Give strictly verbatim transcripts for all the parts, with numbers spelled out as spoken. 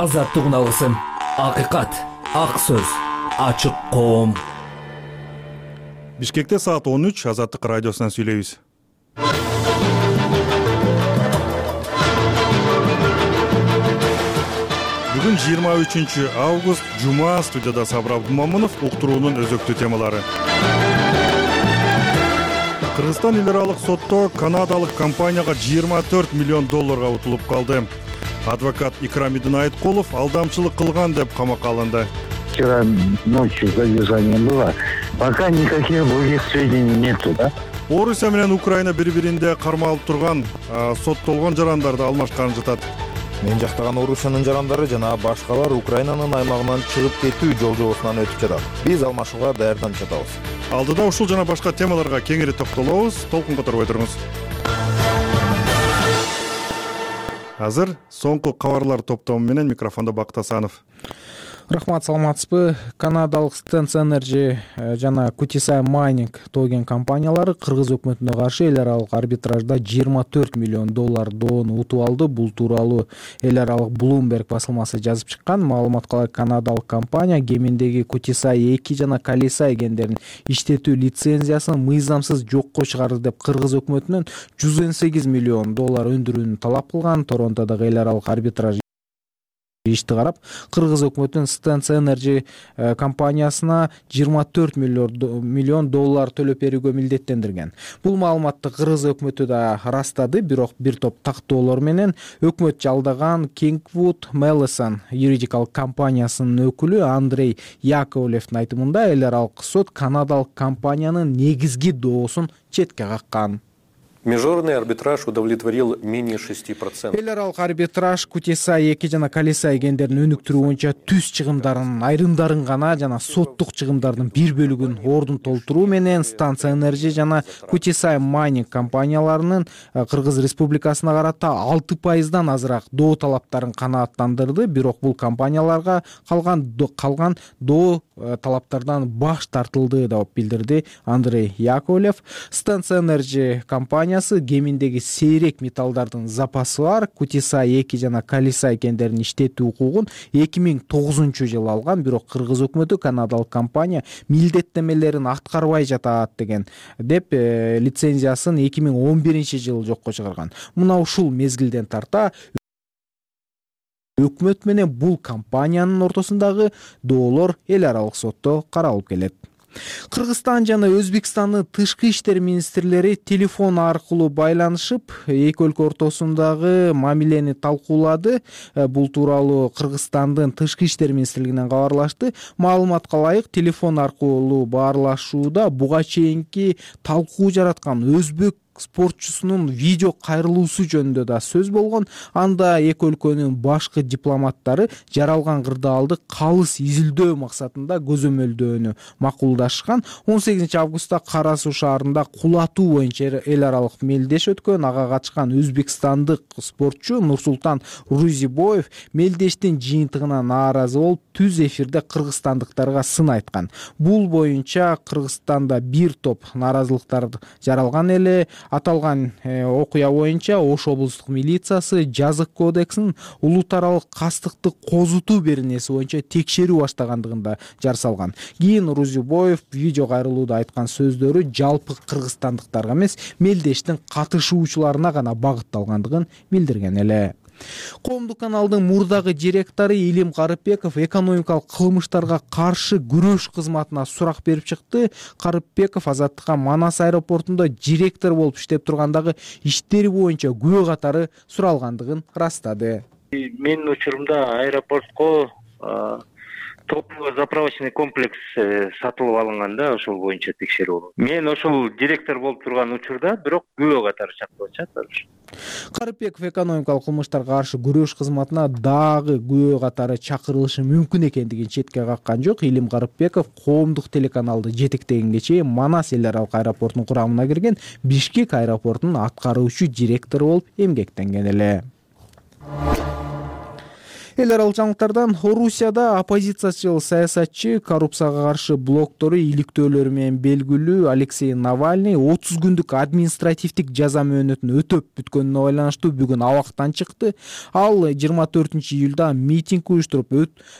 Азаттык үналысын, акыйкат, ак сөз, ачык коом. Бишкекте саат он үч, Азаттык радиосунан сүйлөйбүз. Бүгүн жыйырма үчүнчү август, жума. Студияда Сабыр Абдумамунов. Уктуруунун өзөктүү темалары. Кыргызстан эл аралык сотто канадалык компанияга жыйырма төрт миллион долларга утулуп калды. Адвокат Икрам Идинайыткулов алдамчылык кылган деп камакка алынды. Вчера ночью задержание было. Пока никаких других сведений нету, да? Орусия менен Украина бири-биринде кармалып турган соттолгон жарандарды алмашканын жатат. Мен жактаган Орусиянын жарандары жана башкалар Украинанын аймагынан чыгып кетүү жол жобосунан өтүп жатат. Биз алмашууга даярданып жатабыз. Алдыда ушул жана башка темаларга кеңири токтолобуз. Толкун которуп отуруңуз. Азыр соңку кабарлар топтому менен микрофондо Бакыт Асанов. Рахмат, саламатсызбы. Канадалык Stance Energy жана Kutisai Mining тоген компаниялары кыргыз өкмөтүнө каршы эл аралык арбитражда жыйырма төрт миллион доллар доону утуп алды. Бул тууралуу эл аралык Bloomberg басылмасы жазып чыккан. Маалыматка ылайык, канадалык компания кеминдеги Kutisai эки жана Kalisai кендерин иштетүү лицензиясын мыйзамсыз жокко чыгарды деп кыргыз өкмөтүнөн жүз он сегиз миллион доллар өндүрүүнү талап кылган. Торонтодогу эл аралык арбитраж ишти карап, кыргыз өкмөтүнүн Stance Energy компаниясына жыйырма төрт миллион доллар төлөп берүүгө милдеттендирген. Бул маалыматты кыргыз өкмөтү да ырастады, бирок бир топ тактоолор менен өкмөт жалдаган Kingwood Mallison юридикалык компаниясынын өкүлү Андрей Яковлевдин айтымында эл аралык сот канадалык компаниянын негизги доосун четке каккан. Международный арбитраж удовлетворил менее шести процентов. Эл аралык арбитраж Kutisai эки жана Kalisai кендерин өнүктүрүү боюнча түз чыгымдарынын айрымдарын гана жана соттук чыгымдардын бир бөлүгүн ордун толтуруу менен Stance Energy жана Kutisai Mining компанияларынын Кыргыз Республикасына карата алты пайыздан азыраак доо талаптарын канааттандырды. Бирок бул компанияларга калган калган доо талаптардан баш тартылды деп билдирди Андрей Яковлев. Stance Energy компания кеминдеги сейрек металлдардын запасы бар Kutisai эки жана Kalisai кендерин иштетүү укугун эки миң тогузунчу жылы алган, бирок кыргыз өкмөтү канадалык компания милдеттемелерин аткарбай жатат деген деп лицензиясын эки миң он биринчи жылы жокко чыгарган. Мына ушул мезгилден тарта өкмөт менен бул компаниянын ортосундагы доолор эл аралык сотто каралып келет. Кыргызстан жана Өзбекстандын тышкы иштер министрлери телефон аркылуу байланышып, эки өлкө ортосундагы мамилени талкуулады. Бул тууралуу Кыргызстандын тышкы иштер министрлигинен кабарлашты. Маалыматка ылайык, телефон аркылуу баарлашууда буга чейинки талкуу жараткан өзбек спортчусунун видео кайрылуусу жөнүндө да сөз болгон. Анда эки өлкөнүн башкы дипломаттары жаралган кырдаалды калыс изилдөө максатында көзөмөлдөөнү макулдашкан. он сегизинчи августта Кара Суу шаарында кулатуу боюнча эл аралык мелдеш өткөн. Ага катышкан өзбекстандык спортчу Нурсултан Рузибоев мелдештин жыйынтыгына нааразы болуп, түз эфирде кыргызстандыктарга сын айткан. Бул боюнча Кыргызстанда бир топ нааразылыктар жаралган эле. Аталган окуя боюнча Ош облустук милициясы жазык кодексинин улут аралык кастыктык козутуу беренеси боюнча текшерүү баштагандыгында жар салган. Кийин Рузибоев видео кайрылууда айткан сөздөрү жалпы кыргызстандыктарга эмес, мелдештин катышуучуларына гана багытталгандыгын билдирген эле. Коомдук каналдын мурдагы директору Илим Карыпбеков экономикалык кылмыштарга каршы күрөш кызматына сурак берип чыкты. Карыпбеков Азаттыкка Манас аэропортунда директор болуп иштеп тургандагы иштери боюнча күбө катары суралгандыгын ырастады. Менин учурумда аэропортко топовый заправочный комплекс сатылып алынган да, ошол боюнча текшерүү болот. Мен ошол директор болуп турган учурда бирок күбө катары чакырып атышат. Карыпбеков экономикалык кылмыштарга каршы күрөш кызматына дагы күбө катары чакырылышы мүмкүн экендигин четке каккан жок. Илим Карыпбеков коомдук телеканалды жетектегенге чейин Манас эл аралык аэропортунун курамына кирген, Бишкек аэропортунун аткаруучу директору болуп эмгектенген эле. эл аралык жаңылыктардан Орусияда оппозициячыл саясатчы, коррупцияга каршы блоктору иликтөөлөрү менен белгилүү Алексей Навальный отуз күндүк административдик жаза мөөнөтүн өтөп бүткөнүнө байланыштуу бүгүн абактан чыкты. Ал жыйырма төртүнчү июлда митинг уюштуруп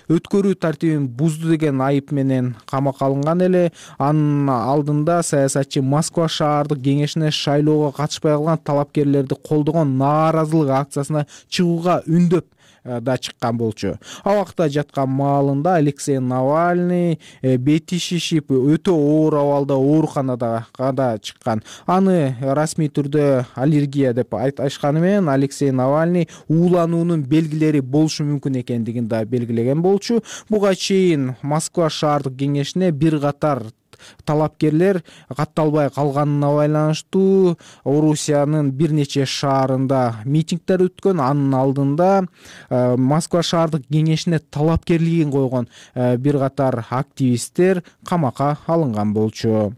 өткөрүү тартибин бузду деген айып менен камакка алынган эле. Анын алдында саясатчы Москва шаардык кеңешине шайлоого катышпай калган талапкерлерди колдогон нааразылык акциясына чыгууга үндөп да чыккан болчу. Абакта жаткан маалында Алексей Навальный бети шишип өтө оор абалда ооруканада да чыккан. Аны расмий түрдө аллергия деп айтышканы менен Алексей Навальный уулануунун белгилери болушу мүмкүн экендигин да белгилеген болчу. Буга чейин Москва шаардык кеңешине бир катар талапкерлер катталбай калганына байланыштуу Орусиянын бир нече шаарында митингдер өткөн. Анын алдында Москва шаардык кеңешине талапкерлигин койгон бир катар активисттер камакка алынган болчу.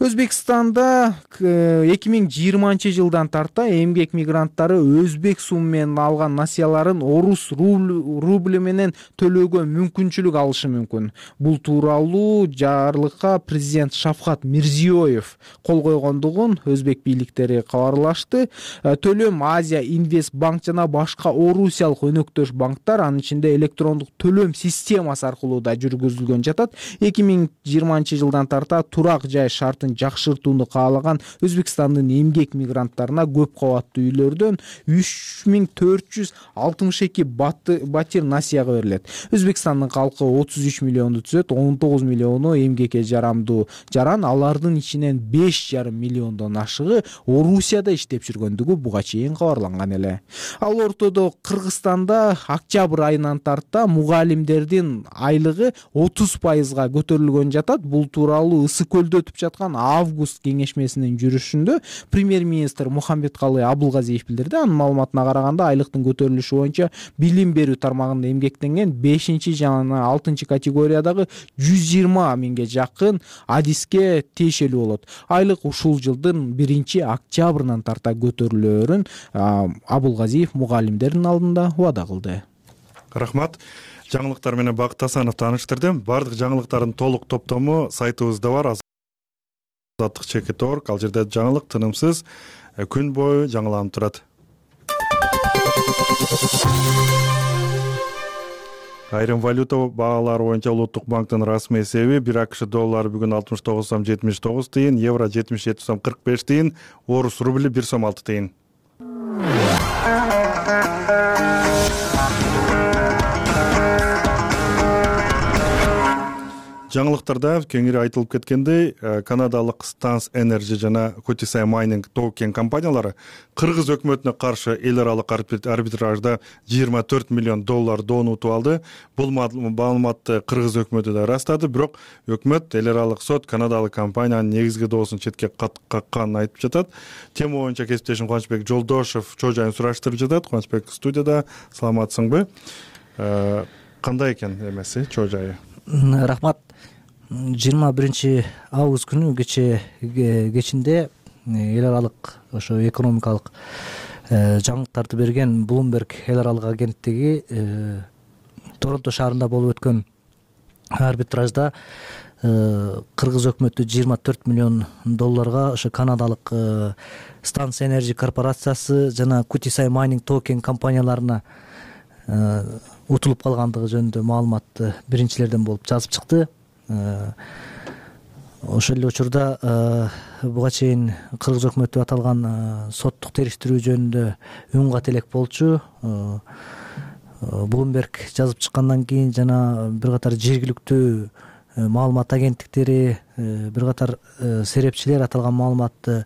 Өзбекстанда эки миң жыйырманчы жылдан тарта эмгек мигранттары өзбек суму менен алган насыяларын орус рубль менен төлөөгө мүмкүнчүлүк алышы мүмкүн. Бул тууралуу жарлыкка президент Шавкат Мирзиёев кол койгондугун өзбек бийликтери кабарлашты. Төлөм Азия Инвест банк жана башка орусиялык өнөктөш банктар, анын ичинде электрондук төлөм системасы аркылуу да жүргүзүлгөн жатат. эки миң жыйырманчы жылдан тарта турак жай шартын жакшыртууну каалаган Өзбекстандын эмгек мигранттарына көп кабаттуу үйлөрдөн үч миң төрт жүз алтымыш эки батир насыяга берилет. Өзбекстандын калкы отуз үч миллионду түзөт, он тогуз миллиону эмгекке жарамдуу жаран, алардын ичинен беш жарым миллиондон ашыгы Орусияда иштеп жүргөндүгү буга чейин кабарланган эле. Ал ортодо Кыргызстанда октябрь айынан тарта мугалимдердин айлыгы отуз пайызга көтөрүлгөн жатат. Бул тууралуу Ысык көлдө өтүп жаткан август кеңешмесинин жүрүшүндө премьер-министр Мухаммедкалый Абылгазиев билдирди. Анын маалыматына караганда айлыктын көтөрүлүшү боюнча билим берүү тармагында эмгектенген бешинчи жана алтынчы категориядагы жүз жыйырма миңге жакын адиске тиешелүү болот. Айлык ушул жылдын биринчи октябрынан тарта көтөрүлөөрүн Абылгазиев мугалимдердин алдында убада кылды. Рахмат. Жаңылыктар менен Бакыт Асанов тааныштырды. Бардык жаңылыктардын толук топтому сайтыбызда бар. Азаттык чекит точка орг. Ал жерде жаңылык тынымсыз күн бою жаңыланып турат. Айрым валюта баалары боюнча Улуттук банктын расмий эсеби бир АКШ доллары бүгүн алтымыш тогуз сом жетимиш тогуз тыйын, евро жетимиш жети сом кырк беш тыйын, орус рубли бир сом алты тыйын. Жаңылыктарда кеңири айтылып кеткендей, канадалык Stans Energy жана Kutisai Mining токен компаниялары Кыргыз өкмөтүнө каршы эл аралык арбитражда жыйырма төрт миллион доллар доон утуп алды. Бул маалыматты Кыргыз өкмөтү да ырастады, бирок өкмөт эл аралык сот канадалык компаниянын негизги доосун четке какканын айтып жатат. Тема боюнча кесиптешим Кубанычбек Жолдошев чоо жайын сураштырып жатат. Кубанычбек студияда, саламатсыңбы? Кандай экен эмеси чоо жайы? Рахмат. жыйырма биринчи август күнү кече кечинде эл аралык ошо экономикалык жаңылыктарды берген Bloomberg эл аралык агенттиги Торонто шаарында болуп өткөн арбитражда Кыргыз өкмөтү жыйырма төрт миллион долларга ошо канадалык Stans Energy корпорациясы жана Kutisai Mining токен компанияларына утулуп калгандыгы жөнүндө маалыматты биринчилерден болуп жазып чыкты. Ошол эле учурда буга чейин Кыргыз өкмөтү аталган соттук териштирүү жөнүндө үн кат элек болчу. Bloomberg жазып чыккандан кийин жана бир катар жергиликтүү маалымат агенттиктери, бир катар серепчилер аталган маалыматты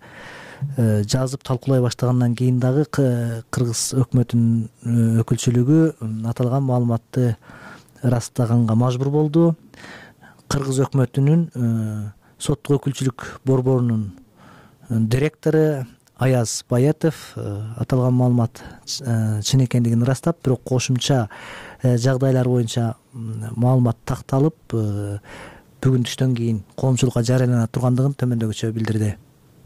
жазып талкуулай баштагандан кийин дагы Кыргыз өкмөтүнүн өкүлчүлүгү аталган маалыматты ырастаганга мажбур болду. Кыргыз өкмөтүнүн соттук өкүлчүлүк борборунун директору Аяз Баятов аталган маалымат чын экендигин ырастап, бирок кошумча жагдайлар боюнча маалымат такталып бүгүн түштөн кийин коомчулукка жарыялана тургандыгын төмөндөгүчө билдирди.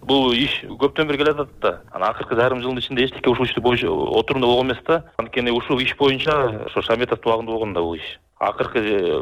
Бул иш көптөн бери келе жатат да. Анан акыркы жарым жылдын ичинде эчтеке ушул ишти отурумда болгон эмес да. Анткени ушул иш боюнча ошо Шаметовдун убагында болгон да бул иш. Акыркы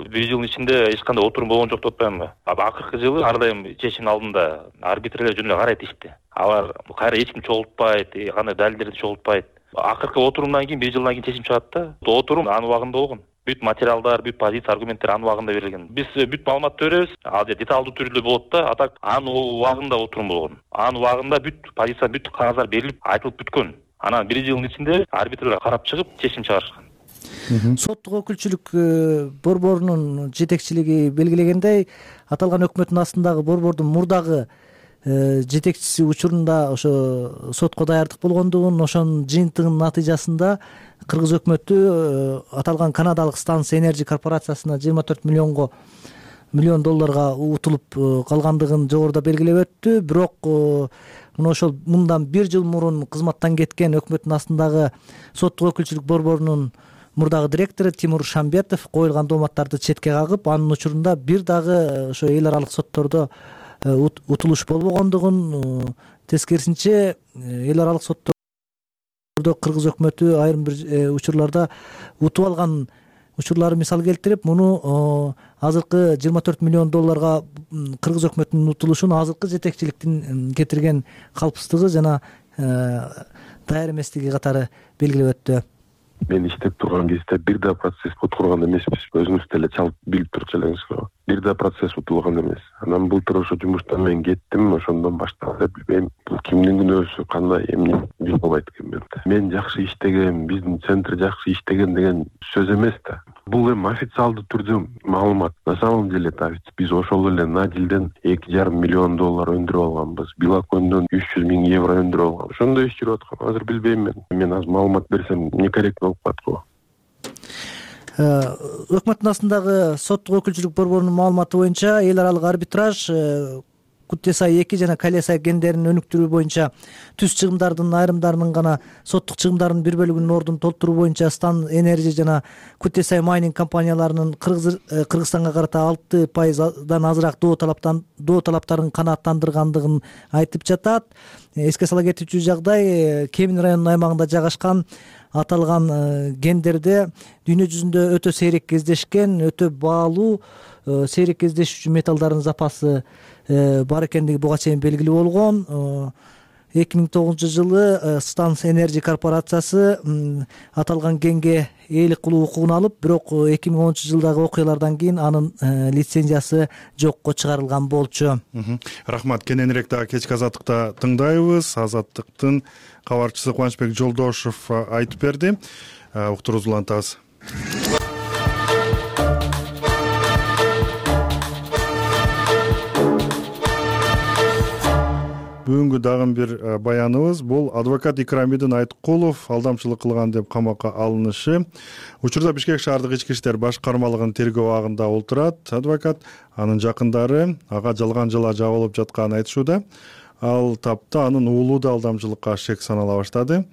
бир жылдын ичинде эч кандай отурум болгон жок деп атпаймынбы? Акыркы жылы ар дайым чечимдин алдында арбитрлер жөн эле карайт ишти. Алар кайра эч ким чогултпайт, кандай далилдерди чогултпайт. Акыркы отурумдан кийин бир жылдан кийин чечим чыгат да. Отурум анын убагында болгон. Бүт материалдар, бүт позиция, аргументтер анын убагында берилген. Биз бүт маалыматты беребиз. Ал жерде деталдуу түрдө болот да. Атак анын убагында отурум болгон. Анын убагында бүт позиция, бүт кагаздар берилип, айтылып бүткөн. Анан бир жылдын ичинде арбитрлер карап чыгып чечим чыгарышкан. Соттук өкүлчүлүк борборунун жетекчилиги белгилегендей, аталган өкмөттүн астындагы борбордун мурдагы жетекчиси учурунда ошо сотко даярдык болгондугун, ошонун жыйынтыгынын натыйжасында кыргыз өкмөтү аталган канадалык Stans Energy корпорациясына жыйырма төрт миллионго миллион долларга утулуп калгандыгын жогоруда белгилеп өттү. Бирок мына ошол мындан бир жыл мурун кызматтан кеткен өкмөттүн астындагы соттук өкүлчүлүк борборунун мурдагы директору Тимур Шамбетов коюлган дооматтарды четке кагып, анын учурунда бир дагы ошо эл аралык соттордо утулуш болбогондугун, тескерисинче эл аралык соттордо кыргыз өкмөтү айрым бир учурларда утуп алган учурлары мисал келтирип, муну азыркы жыйырма төрт миллион долларга кыргыз өкмөтүнүн утулушун азыркы жетекчиликтин кетирген калпсыздыгы жана даяр эместиги катары белгилеп өттү. Мен иштеп турган кезде бир да процесс уткурган эмеспиз. Өзүңүз деле чалып билип турчу элеңиз го. Бир да процесс утулган эмес. Анан былтыр ошо жумуштан мен кеттим, ошондон башталды. Билбейм, бул кимдин күнөөсү, кандай, эмне биле албайт экенмин. Мен жакшы иштеген, биздин центр жакшы иштеген деген сөз эмес да. Бул эми официалдуу түрдө маалымат. На самом деле биз ошол эле Надилден эки жарым миллион доллар өндүрүп алганбыз. Билакондон үч жүз миң евро өндүрүп алганбыз. Ошондой иш жүрүп аткан. Азыр билбейм мен. Мен азыр маалымат берсем некорректно болуп калат го. Өкмөттүн астындагы соттук өкүлчүлүк борборунун маалыматы боюнча эл аралык арбитраж Кутесай эки жана Калесай кендерин өнүктүрүү боюнча түз чыгымдардын айрымдарынын гана соттук чыгымдарынын бир бөлүгүнүн ордун толтуруу боюнча Stans Energy жана Кутесай Mining компанияларынын Кыргызстанга карата алты пайыздан азыраак доо талаптан доо талаптарын канааттандыргандыгын айтып жатат. Эске сала кетүүчү жагдай, Кемин районунун аймагында жайгашкан аталган кендерде дүйнө жүзүндө өтө сейрек кездешкен, өтө баалуу сейрек кездешүүчү металлдардын запасы бар экендиги буга чейин белгилүү болгон. эки миң тогузунчу жылы Stans Energy корпорациясы аталган кенге ээлик кылуу укугун алып, бирок эки миң онунчу жылдагы окуялардан кийин анын лицензиясы жокко чыгарылган болчу. Рахмат. Кененирээк дагы кечки азаттыкта тыңдайбыз. Азаттыктын кабарчысы Кубанычбек Жолдошов айтып берди. Уктуруубузду улантабыз. Бүгүнкү дагы бир баяныбыз бул адвокат Икрамидин Айткулов алдамчылык кылган деп камакка алынышы. Учурда Бишкек шаардык ички иштер башкармалыгынын тергөө абагында отурат. Адвокат анын жакындары ага жалган жала жабылып жатканын айтышууда. Ал тапта анын уулу да алдамчылыкка шек санала баштады.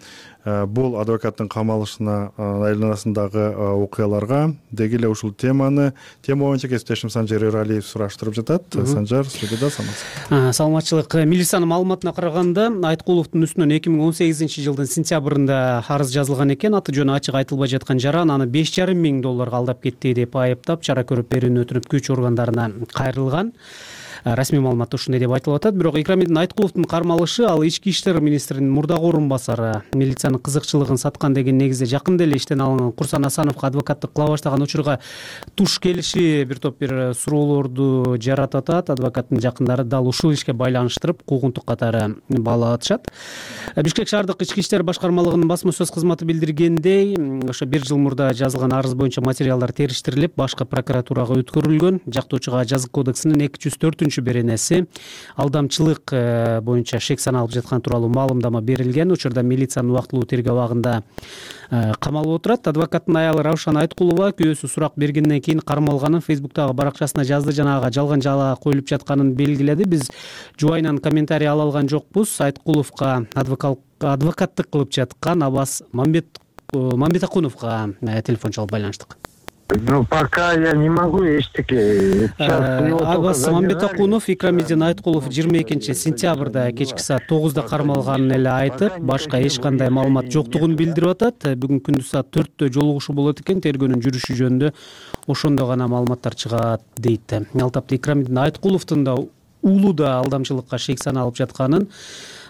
Бул адвокаттын камалышына айланасындагы окуяларга деги эле ушул теманы тема боюнча кесиптешим Санжар Эралиев сураштырып жатат. Санжар, студияда саламатсызбы? Саламатчылык. Милициянын маалыматына караганда, Айткуловдун үстүнөн эки миң он сегизинчи жылдын сентябрында арыз жазылган экен. Аты жөнү ачык айтылбай жаткан жаран аны беш жарым миң долларга алдап кетти деп айыптап, чара көрүп берүүнү өтүнүп күч органдарына кайрылган. Расмий маалыматта ушундай деп айтылып атат. Бирок Икрамидин Айткуловдун кармалышы ал ички иштер министринин мурдагы орун басары, милициянын кызыкчылыгын саткан деген негизде жакында эле иштен алынган Курсан Асановго адвокаттык кыла баштаган учурга туш келиши бир топ бир суроолорду жаратып атат. Адвокаттын жакындары дал ушул ишке байланыштырып куугунтук катары баалап атышат. Бишкек шаардык ички иштер башкармалыгынын басма сөз кызматы билдиргендей, ошо бир жыл мурда жазылган арыз боюнча материалдар териштирилип, башкы прокуратурага өткөрүлгөн. Жактоочуга жазык кодексинин эки жүз төртүнчү беренеси алдамчылык боюнча шек саналып жаткан тууралуу маалымдама берилген. Учурда милициянын убактылуу тергөө абагында камалып отурат. Адвокаттын аялы Раушан Айткулова күйөөсү сурак бергенден кийин кармалганын Фейсбуктагы баракчасына жазды жана ага жалган жала коюлуп жатканын белгиледи. Биз жубайынан комментарий ала алган жокпуз. Айткуловго адвокаттык кылып жаткан Абас Мамбетакуновго телефон чалып байланыштык. Ну, пока я не могу эчтеке. Абас Мамбетакунов, Икрамидин Айткулов жыйырма экинчи сентябрда кечки саат тогузда кармалганын эле айтып, башка эч кандай маалымат жоктугун билдирип атат. Бүгүн күндүз саат төрттө жолугушуу болот экен, тергөөнүн жүрүшү жөнүндө ошондо гана маалыматтар чыгат дейт. Ал тапта Икрамидин Айткуловдун да уулуда алдамчылыкка шек саналып жатканын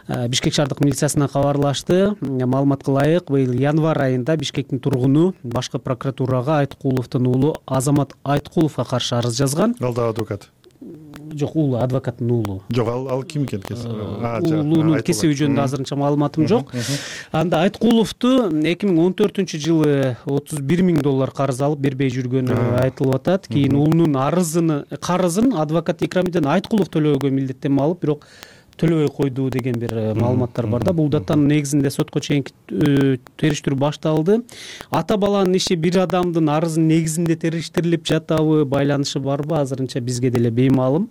Бишкек шаардык милициясына кабарлашты. Маалыматка ылайык, быйыл январь айында Бишкектин тургуну башкы прокуратурага Айткуловдун уулу Азамат Айткуловго каршы арыз жазган. Ал да адвокат. Жок, уулу, адвокаттын уулу. Жок, ал ал ким экен? Уулунун кесиби жөнүндө азырынча маалыматым жок. Анда Айткуловду эки миң он төртүнчү жылы отуз бир миң доллар карыз алып бербей жүргөнү айтылып атат. Кийин уулунун арызын, карызын адвокат Икрамидин Айткулов төлөөгө милдеттенме алып, бирок төлөбөй койду деген бир маалыматтар бар да. Бул датанын негизинде сотко чейинки териштирүү башталды. Ата баланын иши бир адамдын арызынын негизинде териштирилип жатабы, байланышы барбы, азырынча бизге деле беймаалым.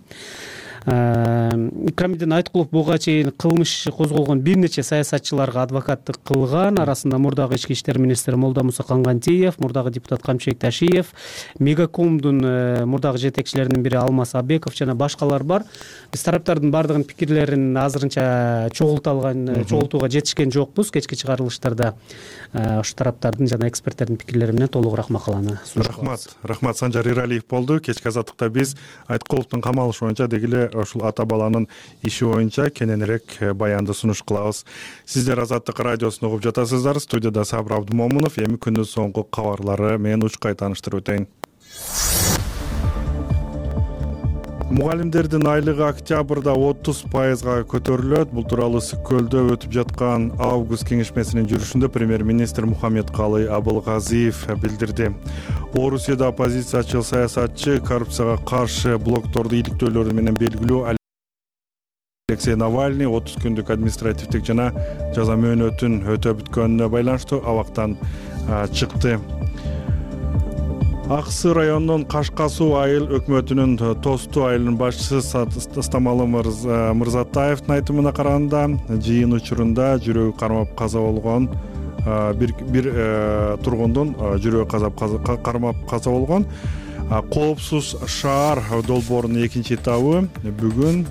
Икрамидин Айткулов буга чейин кылмыш иши козголгон бир нече саясатчыларга адвокаттык кылган. Арасында мурдагы ички иштер министри Молдамуса Кангантиев, мурдагы депутат Камчыбек Ташиев, Мегакомдун мурдагы жетекчилеринин бири Алмаз Абеков жана башкалар бар. Биз тараптардын бардыгынын пикирлерин азырынча чогулта алган, чогултууга жетишкен жокпуз. Кечки чыгарылыштарда ошо тараптардын жана эксперттердин пикирлери менен толугураак макаланы сунуш кылабыз. Рахмат. Рахмат, Санжар Иралиев болду. Кечки азаттыкта биз Айткуловдун камалышы боюнча дегеле ушул ата баланын иши боюнча кененирээк баянды сунуш кылабыз. Сиздер Азаттык радиосун угуп жатасыздар. Студияда Сабыр Абдымомунов. Эми күндүн соңку кабарлары менен учкай тааныштырып өтөйүн. Мугалимдердин айлыгы октябрда отуз пайызга көтөрүлөт. Бул тууралуу Ысык көлдө өтүп жаткан август кеңешмесинин жүрүшүндө премьер-министр Мухаммедкалый Абылгазиев билдирди. Орусияда оппозициячыл саясатчы, коррупцияга каршы блокторду иликтөөлөрү менен белгилүү Алексей Навальный отуз күндүк административдик жана жаза мөөнөтүн өтөп бүткөнүнө байланыштуу абактан чыкты. Аксы районунун Кашкасуу айыл өкмөтүнүн Тосту айылынын башчысы Стамалы Мырзатаевдин айтымына караганда, жыйын учурунда жүрөгү кармап каза болгон бир бир тургундун жүрөгү кармап каза болгон. Коопсуз шаар долбоорунун экинчи этабы бүгүн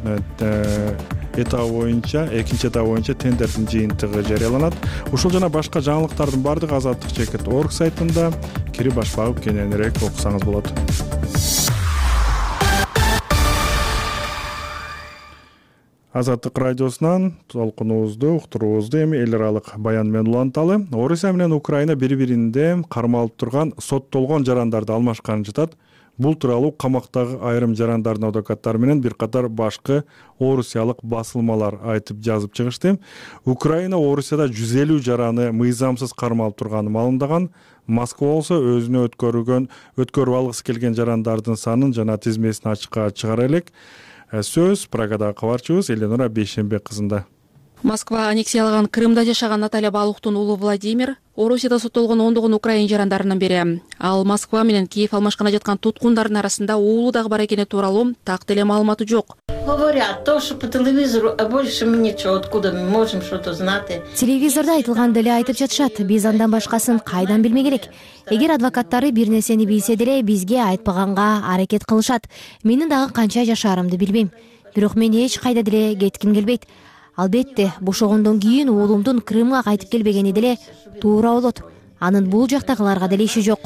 этабы боюнча, экинчи этабы боюнча тендердин жыйынтыгы жарыяланат. Ушул жана башка жаңылыктардын бардыгы азаттык чекит точка орг сайтында кирип баш багып кененирээк окусаңыз болот. Азаттык радиосунан толкунубузду уктуруубузду эми эл аралык баян менен уланталы. Орусия менен Украина бири-биринде кармалып турган соттолгон жарандарды алмашканын жатат. Бул тууралуу камактагы айрым жарандардын адвокаттары менен бир катар башкы орусиялык басылмалар айтып жазып чыгышты. Украина Орусияда жүз элүү жараны мыйзамсыз кармалып турганын маалымдаган. Москва болсо өзүнө өткөрүлгөн өткөрүп алгысы келген жарандардын санын жана тизмесин ачыкка чыгара элек. Сөз Прагадагы кабарчыбыз Эленора Бейшембек кызында. Москва аннексиялаган Крымда жашаган Наталья Балухтун уулу Владимир Орусияда соттолгон ондогон украин жарандарынын бири. Ал Москва менен Киев алмашкана жаткан туткундардын арасында уулу дагы бар экени тууралуу так деле маалыматы жок. Говорят то, что по телевизору, а больше мы ничего, откуда мы можем что-то знать. Телевизорда айтылган деле айтып жатышат. Биз андан башкасын кайдан билмек керек. Эгер адвокаттары бир нерсени билсе деле бизге айтпаганга аракет кылышат. Менин дагы канча жашаарымды билбейм. Бирок мен эч кайда деле кетким келбейт. Албетте, бошогондон кийин уулумдун Крымга кайтып келбегени деле туура болот. Анын бул жактагыларга деле иши жок.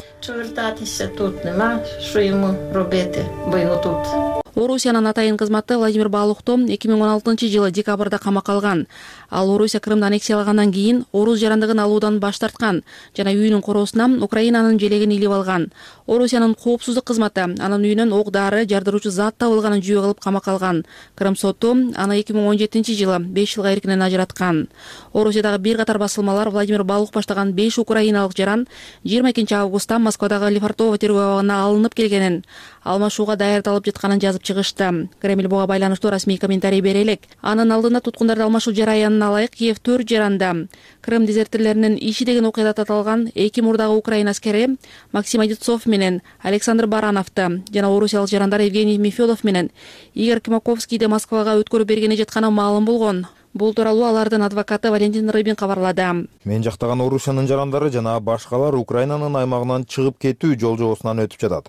Орусиянын атайын кызматы Владимир Балухту эки миң он алтынчы жылы декабрда камакка алган. Ал Орусия Крымды аннексиялагандан кийин орус жарандыгын алуудан баш тарткан жана үйүнүн короосуна Украинанын желегин илип алган. Орусиянын коопсуздук кызматы анын үйүнөн ок-дары, жардыруучу зат табылганын жүйө кылып камакка алган. Крым соту аны эки миң он жетинчи жылы беш жылга эркинен ажыраткан. Орусиядагы бир катар басылмалар Владимир Балух баштаган беш украиналык жаран жыйырма экинчи августта Москвадагы Лефортово тергөө абагына алынып келгенин, алмашууга даярдалып жатканын жазып чыгышты. Кремль буга байланыштуу расмий комментарий бере элек. Анын алдында туткундарды алмашуу жараянына ылайык Киев төрт жаранда Крым дезертирлеринин иши деген окуяда таталган эки мурдагы украин аскери Максим Одинцов менен Александр Барановду жана орусиялык жарандар Евгений Мефедов менен Игорь Кимаковскийди Москвага өткөрүп бергени жатканы маалым болгон. Бул тууралуу алардын адвокаты Валентин Рыбин кабарлады. Мен жактаган Орусиянын жарандары жана башкалар Украинанын аймагынан чыгып кетүү жолжобосунан өтүп жатат.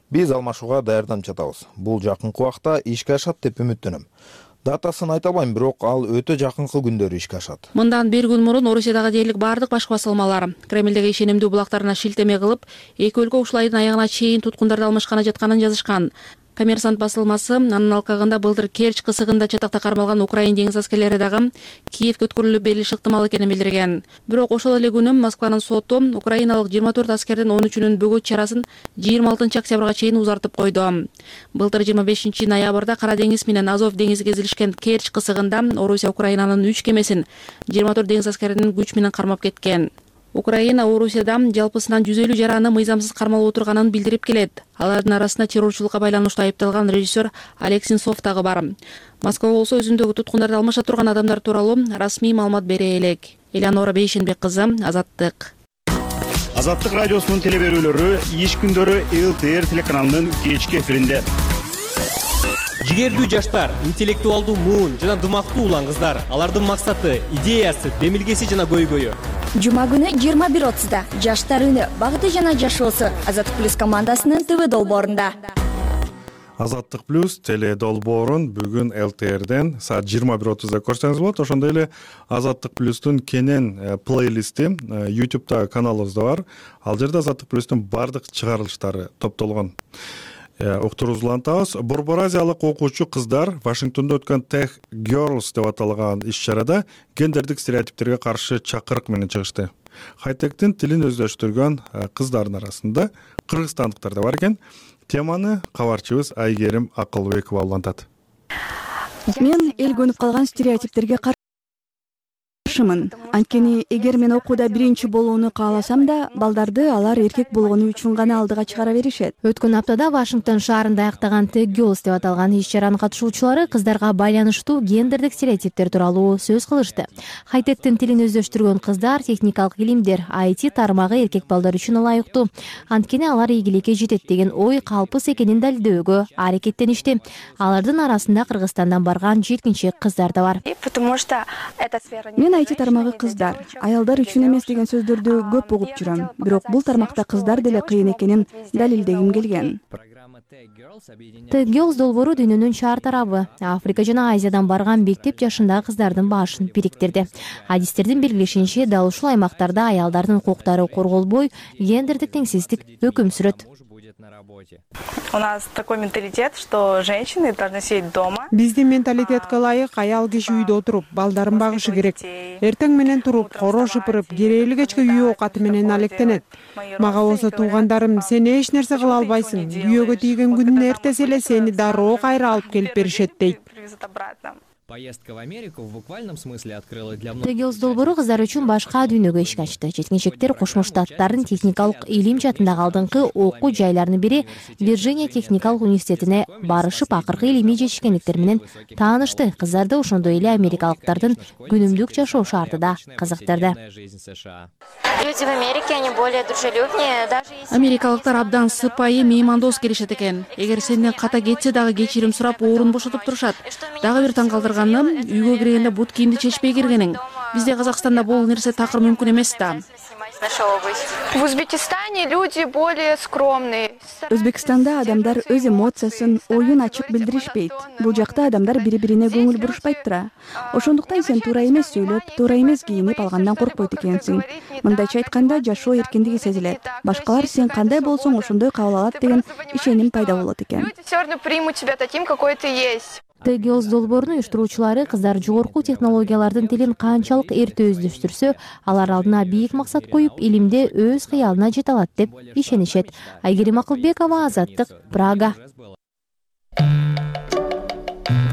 Биз алмашууга даярданып жатабыз. Бул жакынкы убакта ишке ашат деп үмүттөнөм. Датасын айта албайм, бирок ал өтө жакынкы күндөрү ишке ашат. Мындан бир күн мурун Орусиядагы дээрлик бардык башкы басылмалар Кремлдеги ишенимдүү булактарына шилтеме кылып, эки өлкө ушул айдын аягына чейин туткундарды алмашканы жатканын жазышкан. Коммерсант басылмасы анын алкагында былтыр Керчь кысыгында чатакта кармалган украин деңиз аскерлери дагы Киевге өткөрүлүп берилиши ыктымал экенин билдирген. Бирок ошол эле күнү Москванын соту украиналык жыйырма төрт аскердин он үчүнүн бөгөт чарасын жыйырма алтынчы октябрга чейин узартып койду. Былтыр жыйырма бешинчи ноябрда Кара деңиз менен Азов деңизи кезилишкен Керчь кысыгында Орусия Украинанын үч кемесин жыйырма төрт деңиз аскеринин күч менен кармап кеткен. Украина Орусияда жалпысынан жүз элүү жараны мыйзамсыз кармалып отурганын билдирип келет. Алардын арасында террорчулукка байланыштуу айыпталган режиссер Олег Сенцов дагы бар. Москва болсо өзүндөгү туткундарды алмаша турган адамдар тууралуу расмий маалымат бере элек. Элеонора Бейшенбек кызы, Азаттык. Азаттык радиосунун телеберүүлөрү иш күндөрү Эл Т Р телеканалынын кечки эфиринде. Жигердүү жаштар, интеллектуалдуу муун жана дымактуу улан кыздар. Алардын максаты, идеясы, демилгеси жана көйгөйү. Жума күнү жыйырма бир отузда жаштар үнү багыты жана жашоосу Азаттык плюс командасынын ТВ долбоорунда. Азаттык плюс теле долбоорун бүгүн Эл Т Рден саат жыйырма бир отузда көрсөңүз болот. Ошондой эле Азаттык плюстун кенен плейлисти YouTube'да каналыбызда бар. Ал жерде Азаттык плюстун бардык чыгарылыштары топтолгон. Уктуруңузду улантабыз. Борбор азиялык окуучу кыздар Вашингтондо өткөн Tech Girls деп аталган иш-чарада гендердик стереотиптерге каршы чакырык менен чыгышты. Хайтектин тилин өздөштүргөн кыздардын арасында кыргызстандыктар да бар экен. Теманы кабарчыбыз Айгерим Акылбекова улантат. Мен эл көнүп калган стереотиптерге каршымын. Анткени эгер мен окууда биринчи болууну кааласам да, балдарды алар эркек болгону үчүн гана алдыга чыгара беришет. Өткөн аптада Вашингтон шаарында аяктаган Tech Girls деп аталган иш-чаранын катышуучулары кыздарга байланыштуу гендердик стереотиптер тууралуу сөз кылышты. Хайтектин тилин өздөштүргөн кыздар техникалык илимдер, ай ти тармагы эркек балдар үчүн ылайыктуу. Анткени алар ийгиликке жетет деген ой калпыс экенин далилдөөгө аракеттеништи. Алардын арасында Кыргызстандан барган жеткинчек кыздар да бар. Мен ай ти тармагы кыздар, аялдар үчүн эмес деген сөздөрдү көп угуп жүрөм. Бирок бул тармакта кыздар деле кыйын экенин далилдегим келген. Tech Girls долбоору дүйнөнүн чаар тарабы Африка жана Азиядан барган мектеп жашындагы кыздардын башын бириктирди. Адистердин белгилешинче, дал ушул аймактарда аялдардын укуктары корголбой, гендердик теңсиздик өкүм сүрөт. У нас такой менталитет, что женщины должны сидеть дома. Биздин менталитетке ылайык аял киши үйдө отуруп, балдарын багышы керек. Эртең менен туруп, коро шыпырып, керээли кечке үй оокаты менен алектенет. Мага болсо туугандарым, сен эч нерсе кыла албайсың. Күйөөгө тийген күнүн эртеси эле сени дароо кайра алып келип беришет дейт. Поездка в Америку в буквальном смысле открыла для многих. Tech Girls долбоору кыздар үчүн башка дүйнөгө эшик ачты. Жеткинчектер Кошмо Штаттардын техникалык илим жаатындагы алдыңкы окуу жайларынын бири Вирджиния техникалык университетине барышып, акыркы илимий жетишкендиктер менен таанышты. Кыздарды ошондой эле америкалыктардын күнүмдүк жашоо шарты да кызыктырды. Люди в Америке, они более дружелюбнее, даже если... Америкалыктар абдан сыпайы, меймандос келишет экен. Эгер сенден ката кетсе дагы кечирим сурап, орун бошотуп турушат. Дагы бир таң калтырган үйгө киргенде бут кийимди чечпей киргениң. Бизде Казакстанда бул нерсе такыр мүмкүн эмес да. В Узбекистане люди более скромные. Өзбекстанда адамдар өз эмоциясын, оюн ачык билдиришпейт. Бул жакта адамдар бири-бирине көңүл бурушпайт тура. Ошондуктан сен туура эмес сүйлөп, туура эмес кийинип алгандан коркпойт экенсиң. Мындайча айтканда, жашоо эркиндиги сезилет. Башкалар сен кандай болсоң ошондой кабыл алат деген ишеним пайда болот экен. Люди всё равно примут тебя таким, какой ты есть. Tech Girls долбоорунун уюштуруучулары кыздар жогорку технологиялардын тилин канчалык эрте өздөштүрсө, алар алдына бийик максат коюп, илимде өз кыялына жете алат деп ишенишет. Айгерим Акылбекова, Азаттык, Прага.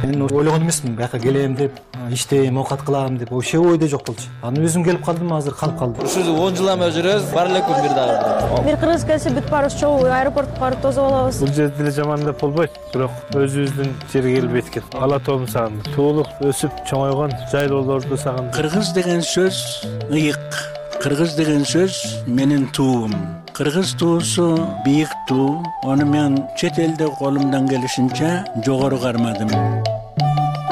Мен ойлогон эмесмин, бияка келем деп, иштейм, оокат кылам деп, вообще ойдо жок болчу. Аны өзүм келип калдым, азыр калып калдым. Ушул он жыл эме жүрөбүз, бар эле күн бир дагы. Бир кыргыз келсе бүт барыбыз чогуу аэропортко барып тосуп алабыз. Бул жерде деле жаман деп болбойт, бирок өзүбүздүн жерге келип эткен. Ала тоом сагындым. Туулуп, өсүп, чоңойгон жайлоолорду сагындым. Кыргыз деген сөз ыйык. Кыргыз деген сөз менин туум. Кыргыз туусу бийик туу. Аны мен чет элде колумдан келишинче жогору кармадым.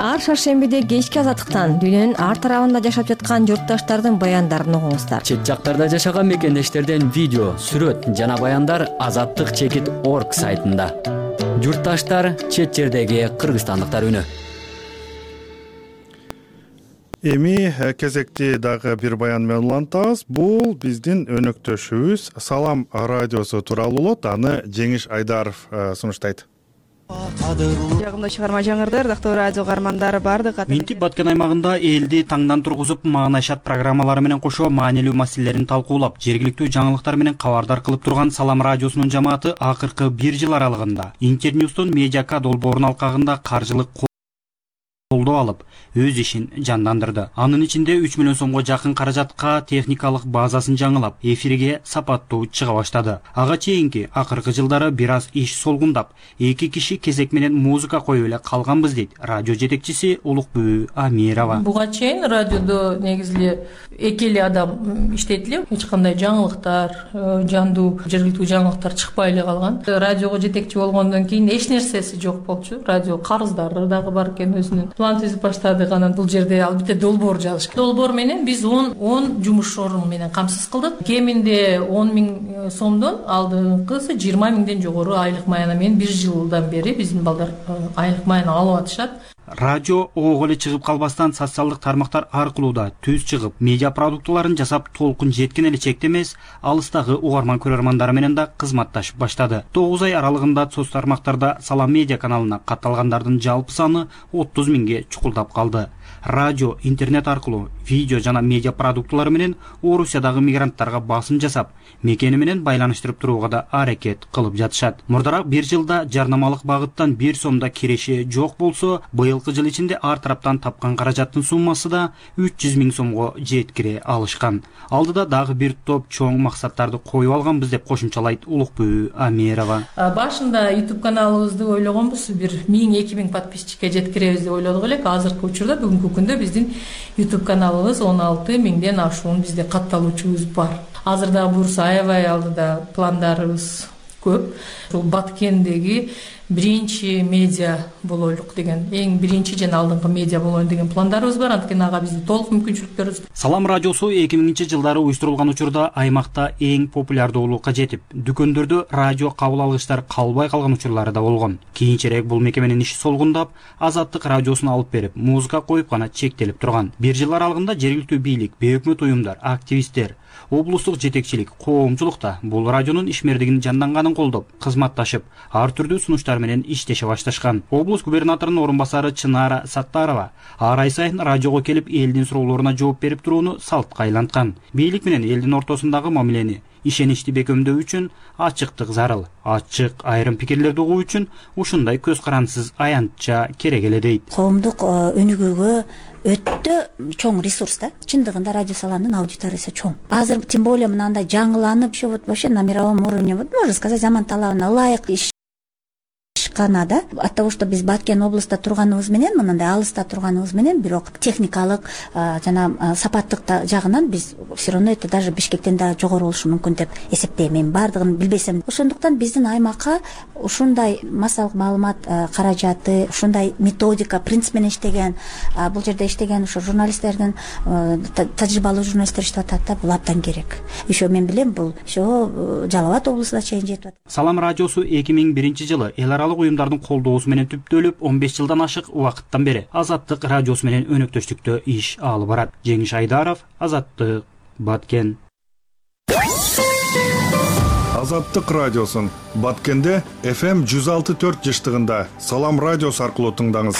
ар шаршембиде кечки азаттыктан дүйнөнүн ар тарабында жашап жаткан журтташтардын баяндарын угуңуздар. Чет жактарда жашаган мекендештерден видео, сүрөт жана баяндар азаттык чекит орг сайтында. Журтташтар, чет жердеги кыргызстандыктар үнү. Эми кезекти дагы бир баян менен улантабыз. Бул биздин өнөктөшүбүз Салам радиосу тууралуу болот. Аны Жеңиш Айдаров сунуштайт. Жагымдуу чыгарма жаңырды, ырдактуу радио каармандары бардык. Минтип Баткен аймагында элди таңдан тургузуп маанайшат программалары менен кошо маанилүү маселелерин талкуулап, жергиликтүү жаңылыктар менен кабардар кылып турган Салам радиосунун жамааты акыркы бир жыл аралыгында Интерньюстун Медиака долбоорунун алкагында каржылык колдоо алып, өз ишин жандандырды. Анын ичинде үч миллион сомго жакын каражатка техникалык базасын жаңылап, эфирге сапаттуу чыга баштады. Ага чейинки акыркы жылдары бир аз иш солгундап, эки киши кезек менен музыка коюп эле калганбыз дейт радио жетекчиси Улукбү Амирова. Буга чейин радиодо негизи эки эле адам иштейт эле, эч кандай жаңылыктар, жандуу жергиликтүү жаңылыктар чыкпай эле калган. Радиого жетекчи болгондон кийин эч нерсеси жок болчу. Радио карыздары дагы бар экен, өзүнүн план түзүп баштадык. Анан бул жерде албетте долбоор жазыш. Долбоор менен биз он он жумуш орун менен камсыз кылдык. Кеминде он миң сомдон, алдыңкысы жыйырма миңден жогору айлык маяна менен бир жылдан бери биздин балдар айлык маяна алып атышат. Радио ого эле чыгып калбастан социалдык тармактар аркылуу да түз чыгып, медиа продуктыларын жасап, толкун жеткен эле чекте эмес, алыстагы угарман көрөрмандары менен да кызматташып баштады. тогуз ай аралыгында соц тармактарда Салам медиа каналына катталгандардын жалпы саны отуз миңге чукулдап калды. Радио, интернет аркылуу видео жана медиа продуктулары менен Орусиядагы мигранттарга басым жасап, мекени менен байланыштырып турууга да аракет кылып жатышат. Мурдараак бир жылда жарнамалык багыттан бир сомда киреши жок болсо, быйылкы жыл ичинде ар тараптан тапкан каражаттын суммасы да үч жүз миң сомго жеткире алышкан. Алдыда дагы бир топ чоң максаттарды коюп алганбыз деп кошумчалайт Улукбү Амирова. Башында YouTube каналыбызды ойлогонбуз, бир миң эки миң подписчикке жеткиребиз деп ойлодук элек. Азыркы учурда бүгүнкү күндө биздин YouTube каналыбыз он алты миңден ашуун бизде катталуучубуз бар. Азырда буюрса аябай алдыда пландарыбыз көп. Бул Баткендеги биринчи медиа болойлук деген, эң биринчи жана алдыңкы медиа болоюн деген пландарыбыз бар. Анткени ага биздин толук мүмкүнчүлүктөрүбүз. Салам радиосу эки миңинчи жылдары уюштурулган учурда аймакта эң популярдуулукка жетип, дүкөндөрдө радио кабыл алгычтар калбай калган учурлары да болгон. Кийинчерээк бул мекеменин иши солгундап, Азаттык радиосун алып берип, музыка коюп гана чектелип турган. Бир жыл аралыгында жергиликтүү бийлик, бейөкмөт уюмдар, активисттер, облустук жетекчилик, коомчулукта бул радионун ишмердигинин жанданганын колдоп, кызматташып, ар түрдүү сунуштар менен иштеше башташкан. Облус губернаторунун орун басары Чынара Саттарова ар ай сайын радиого келип, элдин суроолоруна жооп берип турууну салтка айланткан. Бийлик менен элдин ортосундагы мамилени ишеничти бекемдөө үчүн ачыктык зарыл. Ачык айрым пикирлерди угуу үчүн ушундай көз карансыз аянтча керек эле дейт. Коомдук өнүгүүгө өтө чоң ресурс да. Чындыгында радио Саламдын аудиториясы чоң. Азыр тем более мынандай жаңыланып, вот вообще на мировом уровне, вот можно сказать, заман талабына ылайык иш да, от того, что биз Баткен областта турганыбыз менен, мындай алыста турганыбыз менен, бирок техникалык жана сапаттык жагынан биз все равно это даже Бишкектен да жогору болушу мүмкүн деп эсептейм. Мен бардыгын билбесем. Ошондуктан биздин аймакка ушундай массалык маалымат каражаты, ушундай методика, принцип менен иштеген, бул жерде иштеген ошо журналисттердин, тажрыйбалуу журналисттер иштеп атат да, бул абдан керек. Еще мен билем, бул ошо Жалал Абад облусуна чейин жетип атат. Салам радиосу эки миң биринчи жылы эл аралык уюмдардын колдоосу менен түптөлүп, он беш жылдан ашык убакыттан бери Азаттык радиосу менен өнөктөштүктө иш алып барат. Жеңиш Айдаров, Азаттык, Баткен. Азаттык радиосун Баткенде эф эм жүз алты төрт жыштыгында Салам радиосу аркылуу тыңдаңыз.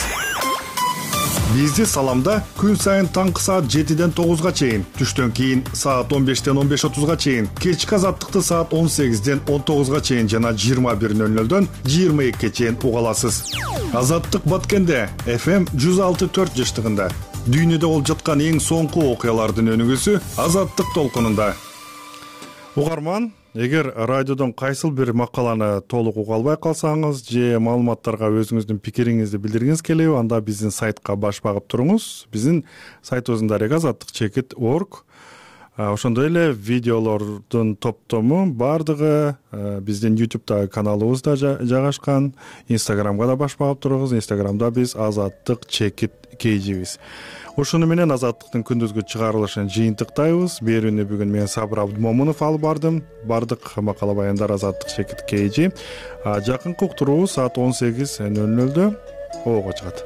Бизди Саламда күн сайын таңкы саат жетиден тогузга чейин, түштөн кийин саат он бештен он беш отузга чейин, кечки Азаттыкты саат он сегизден он тогузга чейин жана жыйырма бир нөл нөлдөн жыйырма экиге чейин уга аласыз. Азаттык Баткенде эф эм жүз алты төрт жыштыгында дүйнөдө болуп жаткан эң соңку окуялардын өнүгүүсү Азаттык толкунунда. Угарман, эгер радиодон кайсыл бир макаланы толук уга албай калсаңыз же маалыматтарга өзүңүздүн пикириңизди билдиргиңиз келеби, анда биздин сайтка баш багып туруңуз. Биздин сайтыбыздын дареги азаттык чекит точка орг. ошондой эле видеолордун топтому баардыгы биздин ютубтагы каналыбызда жайгашкан. Инстаграмга да баш багып турабыз. Инстаграмда биз Азаттык чекит кейжибиз. Ушуну менен Азаттыктын күндүзгү чыгарылышын жыйынтыктайбыз. Берүүнү бүгүн мен Сабыр Абдымомунов алып бардым. Бардык макала баяндар Азаттык чекит кейжи. Жакынкы уктуруубуз саат он сегиз нөл нөлдө обого чыгат.